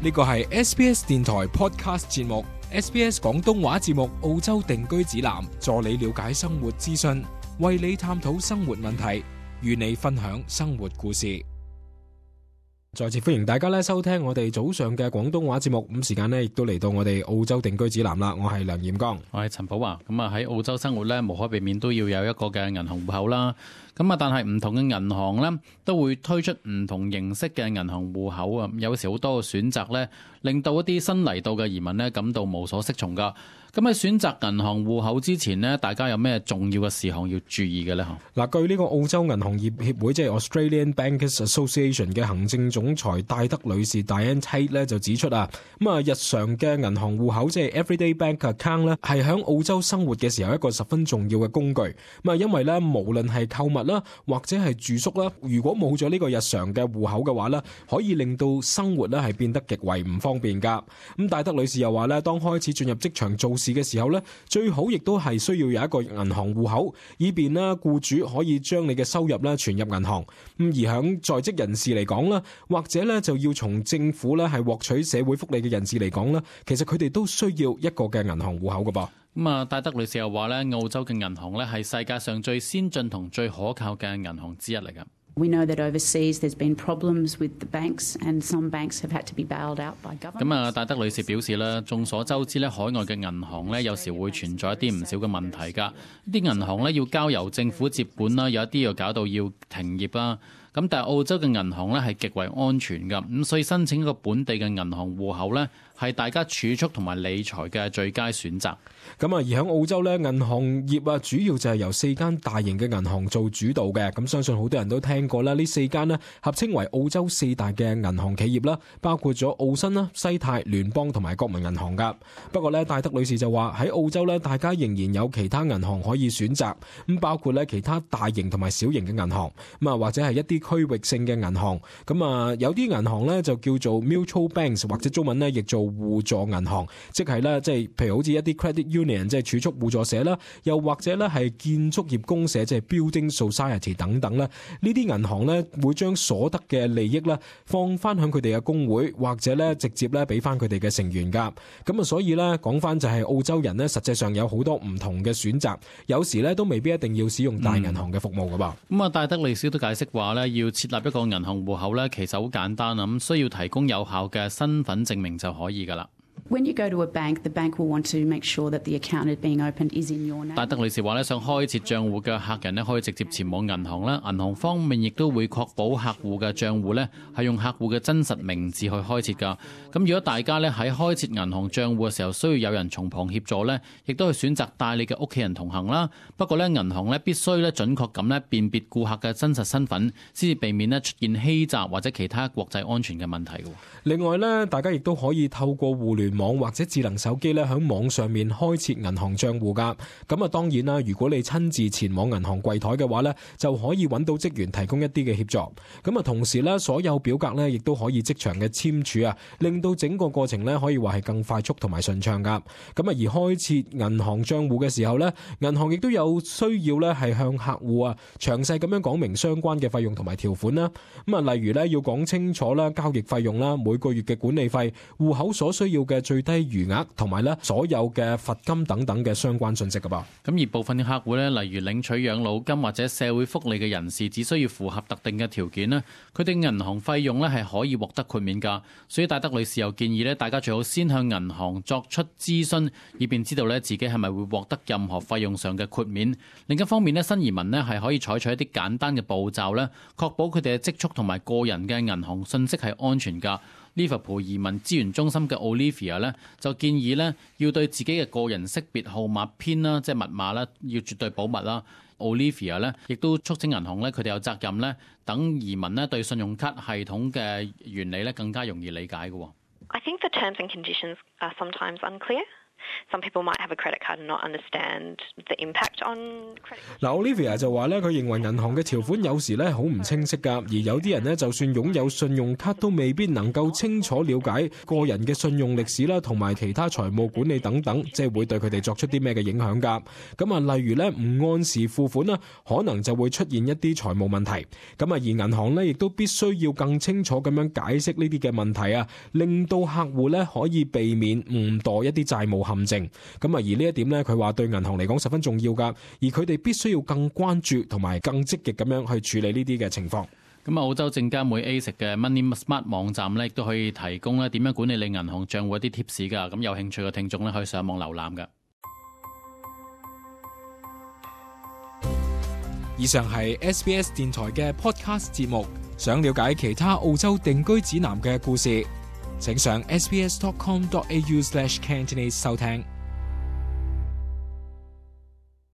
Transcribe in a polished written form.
呢個係 SBS 電台 Podcast 節目 SBS 廣東話節目澳洲定居指南，助你了解生活資訊，為你探討生活問題，與你分享生活故事。再次歡迎大家咧收聽我哋早上嘅廣東話節目，咁時間呢亦都嚟到我哋澳洲定居指南啦。我係梁彥剛，我係陳寶華。咁啊喺澳洲生活咧，無可避免都要有一個嘅銀行戶口啦。咁啊，但係唔同嘅銀行咧都會推出唔同形式嘅銀行戶口啊。有時好多嘅選擇咧，令到一啲新嚟到嘅移民咧感到無所適從噶。咁喺選擇銀行戶口之前呢，大家有咩重要嘅事項要注意嘅呢？嗱，據呢個澳洲銀行業協會即係 Australian Bankers Association 嘅行政總裁戴德女士 Diane Tate 咧就指出啊，咁啊日常嘅銀行戶口即係 Everyday Bank Account 咧，係喺澳洲生活嘅時候一個十分重要嘅工具。咁啊，因為咧無論係購物啦，或者係住宿啦，如果冇咗呢個日常嘅戶口嘅話咧，可以令到生活咧係變得極為唔方便噶。咁戴德女士又話咧，當開始進入職場做事嘅時候咧，最好亦都係需要有一個銀行戶口，以便咧僱主可以將你嘅收入咧存入銀行。咁而響在職人士嚟講啦，或者咧就要從政府咧係獲取社會福利嘅人士嚟講啦，其實佢哋都需要一個嘅銀行戶口噶噃。咁啊，戴德女士又話咧，澳洲嘅銀行咧係世界上最先進同最可靠嘅銀行之一嚟噶。We know that overseas there's been problems with the banks and some banks have had to be bailed out by government. 咁啊，戴德女士表示咧，眾所周知咧，海外嘅銀行咧有時會存在一啲唔少嘅問題㗎。啲銀行咧要交由政府接管啦，有一啲又搞到要停業啦。咁但係澳洲嘅銀行咧係極為安全㗎，咁所以申請一個本地嘅銀行戶口咧係大家儲蓄同埋理財嘅最佳選擇。咁啊，而喺澳洲咧，銀行業啊，主要就係由4間大型嘅銀行做主導嘅。咁相信好多人都聽過啦，呢4間呢合稱為澳洲4大嘅銀行企業啦，包括咗澳新啦、西泰、聯邦同埋國民銀行噶。不過咧，戴德女士就話喺澳洲咧，大家仍然有其他銀行可以選擇，咁包括咧其他大型同埋小型嘅銀行，咁啊或者係一啲區域性嘅銀行。咁啊有啲銀行咧就叫做 mutual banks， 或者中文咧亦做互助銀行，即係咧即係譬如好似一啲 credit union 即係儲蓄互助社啦，又或者咧係建築業公社即係 building society 等等啦。呢啲銀行咧會將所得嘅利益咧放翻響佢哋嘅工會，或者咧直接咧俾翻佢哋嘅成員噶。咁啊所以咧講翻就係澳洲人咧實際上有好多唔同嘅選擇，有時咧都未必一定要使用大銀行嘅服務噶噃。咁啊，戴德女士都解釋話咧，要設立一個銀行戶口咧，其實好簡單啊，咁需要提供有效嘅身份證明就可以噶啦。When you go to a bank, the bank will want to make sure that the account is being opened is in your name. 戴德女士話咧，想開設賬戶嘅客人咧，可以直接前往銀行啦。銀行方面亦都會確保客戶嘅賬戶咧係用客戶嘅真實名字去開設㗎。咁如果大家咧喺開設銀行賬戶嘅時候需要有人從旁協助咧，亦都係選擇帶你嘅屋企人同行啦。不過咧，銀行咧必須咧準確咁咧辨別顧客嘅真實身份，先至避免咧出現欺詐或者其他國際安全嘅問題㗎。另外咧，大家亦都可以透過互聯網或者智能手機咧，喺網上面開設銀行賬戶噶。咁啊，當然啦，如果你親自前往銀行櫃台嘅話咧，就可以揾到職員提供一啲嘅協助。咁啊，同時咧，所有表格咧，亦都可以即場嘅簽署啊，令到整個過程咧，可以話係更快速同埋順暢噶。咁啊，而開設銀行賬戶嘅時候咧，銀行亦都有需要咧，係向客戶啊詳細咁樣講明相關嘅費用同埋條款啦。咁啊，例如咧，要講清楚啦，交易費用啦，每個月嘅管理費、戶口所需要嘅最低餘額同埋咧所有嘅罰金等等嘅相關信息噶噃。咁而部分嘅客戶咧，例如領取養老金或者社會福利嘅人士，只需要符合特定嘅條件咧，佢哋銀行費用咧係可以獲得豁免噶。所以戴德女士又建議咧，大家最好先向銀行作出諮詢，以便知道咧自己係咪會獲得任何費用上嘅豁免。另一方面咧，新移民咧係可以採取一啲簡單嘅步驟咧，確保佢哋嘅積蓄同埋個人嘅銀行信息係安全噶。利物浦移民資源中心嘅 Olivia 咧就建議咧要對自己嘅個人識別號碼編啦，即係密碼啦，要絕對保密啦。Olivia 咧亦都促請銀行咧佢哋有責任咧等移民咧對信用卡系統嘅原理咧更加容易理解嘅。I think the terms and conditions are sometimes unclear. Some people might have a credit card and not understand the impact on credit card. 嗱，Olivia 就話咧，佢認為銀行嘅條款有時咧好唔清晰㗎，而有啲人呢，就算擁有信用卡都未必能夠清楚了解個人嘅信用歷史啦，同埋其他財務管理等等，即係會對佢哋作出啲咩嘅影響㗎。咁啊，例如咧唔按時付款啦，可能就會出現一啲財務問題。咁啊，而銀行咧亦都必須要更清楚咁樣解釋呢啲嘅問題啊，令到客戶咧可以避免誤墮一啲債務陷阱。咁啊，而呢一點咧，佢話對銀行嚟講十分重要㗎，而佢哋必須要更關注同埋更積極咁樣去處理呢啲嘅情況。咁澳洲證監會 ASIC 嘅 Money Smart 網站咧，亦都可以提供咧點樣管理你銀行帳戶一啲 tips 㗎。咁有興趣嘅聽眾咧，可以上網瀏覽㗎。以上係 SBS 電台嘅 podcast 節目。想了解其他澳洲定居指南嘅故事，請上 sbs.com.au/Cantonese 收聽。